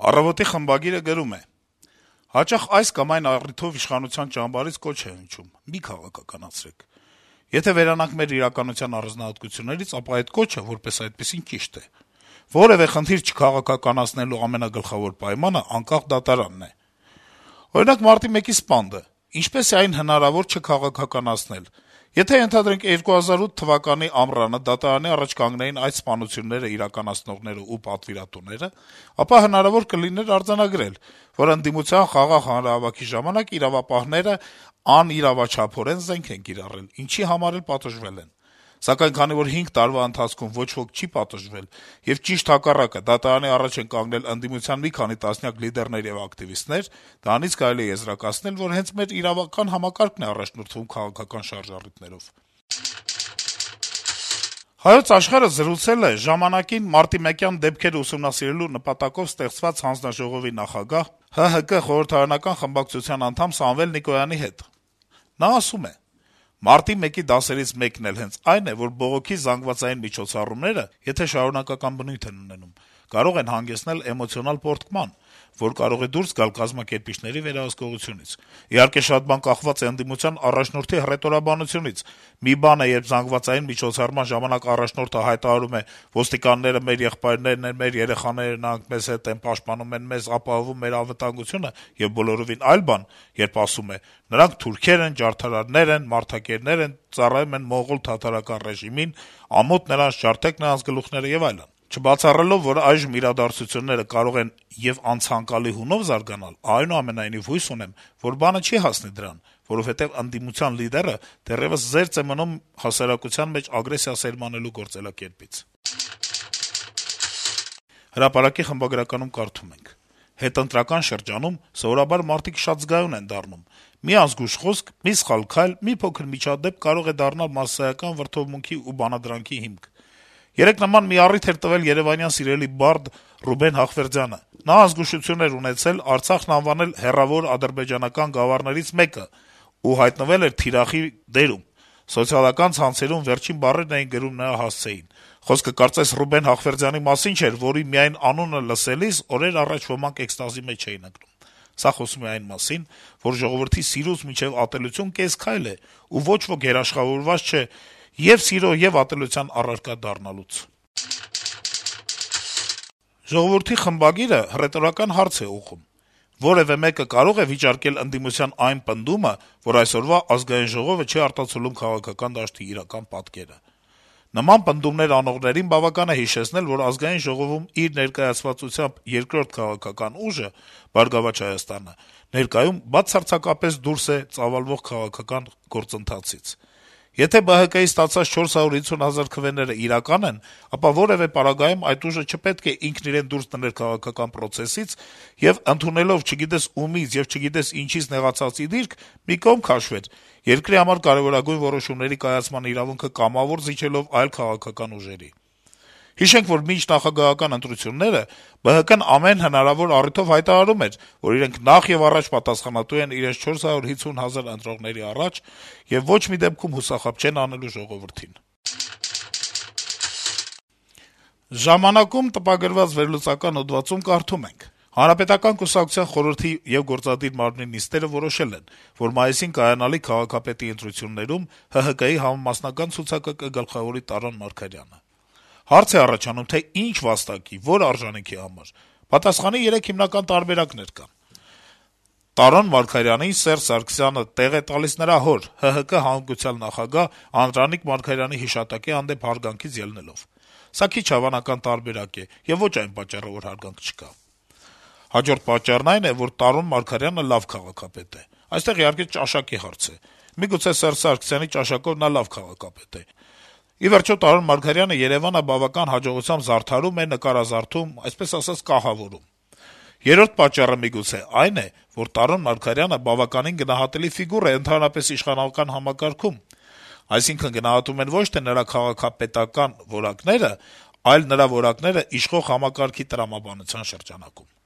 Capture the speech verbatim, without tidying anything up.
«Առավոտ»-ի խմբագիրը գրում է. - «Հաճախ այս կամ այն առիթով իշխանության ճամբարից կոչ է հնչում` մի քաղաքականացրեք: Եթե վերանանք մեր իրականության առանձնահատկություններից, ապա այդ կոչը, որպես այդպիսին, ճիշտ է: Որեւէ խնդիր չքաղաքականացնելու ամենագլխավոր պայմանը անկախ դատարանն է: Օրինակ, մարտի մեկի սպանդը. ինչպե՞ս է այն հնարավոր չքաղաքականացնել: Եթե, ենթադրենք, երկու հազար ութ թվականի ամռանը դատարանի առաջ կանգնեին այդ սպանությունները իրականացնողներն ու պատվիրատուները, ապա հնարավոր կլիներ արձանագրել, որ ընդդիմության խաղաղ հանրահավաքի ժամանակ իրավապահները անիրավաչափորեն զենք են կիրառել, ինչի համար էլ պատժվել են: Սակայն քանի որ հինգ տարվա ընթացքում ոչ ոք չի պատժվել, եւ ճիշտ հակառակը, դատարանի առաջ են կանգնել ընդդիմության մի քանի տասնյակ լիդերներ եւ ակտիվիստներ, դրանից կարելի է եզրակացնել, որ հենց մեր իրավական համակարգն է առաջնորդվում քաղաքական շարժառիթներով»: «Հայոց Աշխարհ»-ը զրուցել է ժամանակին մարտիմեկյան դեպքերը ուսումնասիրելու նպատակով ստեղծված հանձնաժողովի նախագահ, ՀՀԿ խորհրդարանական խմբակցության անդամ Սամվել Նիկոյանի հետ: Նա ասում է. - «Մարտի մեկի դասերից մեկն էլ հենց այն է, որ բողոքի զանգվածային միջոցառումները, եթե շարունակական բնույթ են ունենում, կարող են հանգեցնել էմոցիոնալ պոռթկման, որ կարող է դուրս գալ կազմակերպիչների վերահսկողությունից: Իհարկե, շատ բան կախված է ընդդիմության առաջնորդի հռետորաբանությունից: Մի բան է, երբ զանգվածային միջոցառման ժամանակ առաջնորդը հայտարարում է. ոստիկանները մեր եղբայրներն են, մեր երեխաները, նրանք մեզ հետ են, պաշտպանում են մեզ, ապահովում մեր անվտանգությունը, եւ բոլորովին այլ բան, երբ ասում է. նրանք թուրքեր են, ջարդարարներ են, մարդակերներ են, ծառայում են մոնղոլ-թաթարական ռեժիմին, ամոթ նրանց, ջարդեք նրանց գլուխները եւ այլն: Չբացառելով, որ այժմ իրադարձությունները կարող են եւ անցանկալի հունով զարգանալ, այնուամենայնիվ հույս ունեմ, որ բանը չի հասնի դրան, որովհետեւ ընդդիմության լիդերը դեռեւս զերծ է մնում հասարակության մեջ ագրեսիա սերմանելու գործելակերպից»: «Հրապարակ»-ի խմբագրականում կարդում ենք. - «Հետընտրական շրջանում սովորաբար մարդիկ շատ զգայուն են դառնում: Մի ազգույշ խոսք, մի սխալ քայլ, մի փոքր միջադեպ կարող է դառնալ մասսայական վրդովմունքի ու բանադրանքի հիմք: Երեկ նման մի առիթ էր տվել երեւանյան սիրելի բարդ Ռուբեն Հախվերդյանը: Նա ազգուշություն էր ունեցել Արցախն անվանել հեռավոր ադրբեջանական գավառներից մեկը ու հայտնվել էր թիրախի դերում: Սոցիալական ցանցերում վերջին բառերն էին գրում նրա հասցեին: Խոսքը կարծես Ռուբեն Հախվերդյանի մասին չէր, որի միայն անունը լսելիս օրեր առաջ ոմանք էքստազի մեջ էին ընկնում: Սա խոսում է այն մասին, որ ժողովրդի սիրուց մինչեւ ատելություն կես քայլ է, ու ոչ ոք երաշխավորված չէ ե՛ւ սիրո, ե՛ւ ատելության առարկա դառնալուց»: «Ժողովուրդ» թերթի խմբագիրը հռետորական հարց է ուղղում. - «Որեւէ մեկը կարո՞ղ է վիճարկել ընդդիմության այն պնդումը, որ այսօրվա Ազգային ժողովը չի արտացոլում քաղաքական դաշտի իրական պատկերը: Նման պնդումներ անողներին բավական է հիշեցնել, որ Ազգային ժողովում իր ներկայացվածությամբ երկրորդ քաղաքական ուժը` «Բարգավաճ Հայաստանը», ներկայում բացարձակապես դուրս է ծավալվող քաղաքական գործընթացից: Եթե ԲՀԿ-ի ստացած չորս հարյուր հիսուն հազար քվեները իրական են, ապա որեւէ պարագայում այդ ուժը չպետք է ինքն իրեն դուրս դներ քաղաքական պրոցեսից եւ, ընդունելով չգիտես ումից եւ չգիտես ինչից նեղացած ի դիրք, մի կողմ քաշվեր` երկրի համար կարեւորագույն որոշումների կայացման իրավունքը կամավոր զիջելով այլ քաղաքական ուժերի: Հիշենք, որ մինչ նախագահական ընտրությունները ԲՀԿ-ն ամեն հնարավոր առիթով հայտարարում էր, որ իրենք նախեւառաջ պատասխանատու են իրենց չորս հարյուր հիսուն հազար ընտրողների առաջ եւ ոչ մի դեպքում հուսախաբ չեն անելու ժողովրդին»: «Ժամանակ»-ում տպագրված վերլուծական հոդվածում կարդում ենք. - «Հանրապետական կուսակցության խորհրդի եւ գործադիր մարմնի նիստերը որոշել են, որ մայիսին կայանալիք քաղաքապետի ընտրություններում ՀՀԿ-ի համամասնական ցուցակը կգլխավորի Տարոն Մարգարյանը: Հարց է առաջանում, թե ինչ վաստակի, որ արժանիքի համար: Պատասխանի երեք հիմնական տարբերակներ կան: Տարոն Մարգարյանին Սերժ Սարգսյանը տեղ է տալիս նրա հոր` ՀՀԿ հանգուցյալ նախագահ Անդրանիկ Մարգարյանի հիշատակի հանդեպ հարգանքից ելնելով: Սա քիչ հավանական տարբերակ է եւ ոչ այն պատճառը, որ հարգանք չկա: Հաջորդ պատճառն այն է, որ Տարոն Մարգարյանը լավ քաղաքապետ է: Այստեղ, իհարկե, ճաշակի հարց է: Միգուցե Սերժ Սարգսյանի ճաշակով նա լավ քաղաքապետ է: Ի վերջո, Տարոն Մարգարյանը Երեւանը բավական հաջողությամբ զարդարում է, նկարազարդում, այսպես ասած, կահավորում: Երրորդ պատճառը միգուցե այն է, որ Տարոն Մարգարյանը բավականին գնահատելի ֆիգուր է ընդհանրապես իշխանական համակարգում: Այսինքն` գնահատում են ոչ թե նրա քաղաքապետական որակները, այլ նրա որակները իշխող համակարգի տրամաբանության շրջանակում»: